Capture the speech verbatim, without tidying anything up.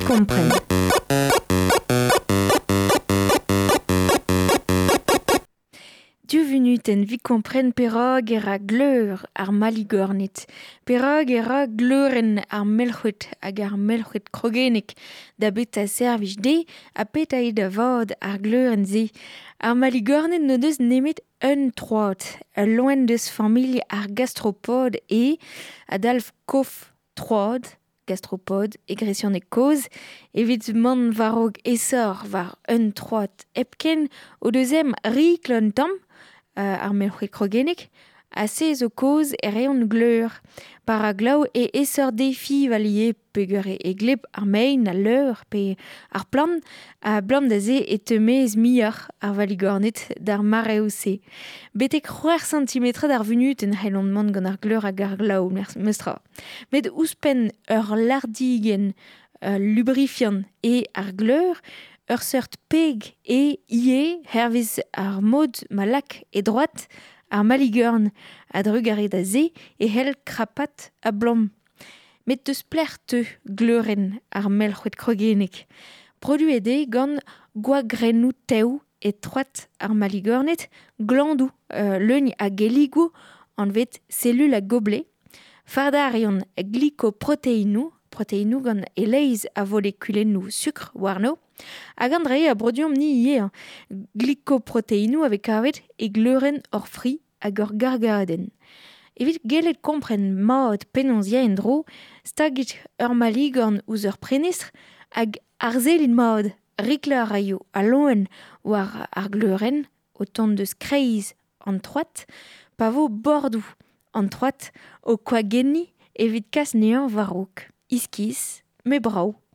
kompren. Div vunutenn evit kompren perak e ra gleur ar maligorned, perak e ra gleurenn ar melc'hwed hag ar melc'hwed krogennek da beta servij dezhe ha petra eo da vat ar gleurenn-se. Ar maligorned n'o deus nemet un troad, ul loen deus familh ar gastropod eo, a dalv kof troad, gastropod e gresianeg kozh, evit mont war-raok aesoc'h war un troad hepken o deus ezhomm rikl un tamm, ar melc'hwed krogennek, ha se zo kaoz e reont gleur. Pa ra glav e aesoc'h defival ivez peogwir e gleb ar mein, al leur pe ar plant, ha abalamour da se e teu maez muioc'h ar valigorned d'ar mareoù-se. Betek c'hwec'h santimetrad ar vunutenn c'hellont mont gant ar gleur hag ar glav, memes tra. Met ouzhpenn ur lardigenn lubrifiant eo ar gleur, ur seurt peg eo ivez hervez ar mod ma lak e droad ar maligorn. A-drugarez da se e c'hell krapat a-blom. Met deus pelec'h teu gleurenn ar melc'hwed krogennek. Produet eo gant gwagrennoù tev e troad ar maligorned, glandoù euh, leun a gelligoù anvet selul a gobelet. Fardañ a reont glikoproteinoù, proteinoù gant e-leizh a volekulennoù sukr warno. Hag an dra-se a broduomp-ni ivez, glikoproteinoù a vez kavet e gleurenn hor fri hag ur gargadenn. Evit gellet kompren mat penaos ya en-dro, stagit ur maligorn ouzh ur prenestr hag arsellit mat riklañ a raio al loen war ar gleurenn o tont deus kreiz an troad, pa vo bordoù an troad o koagenniñ evit kas anezhañ war-raok. Iskis, met brav.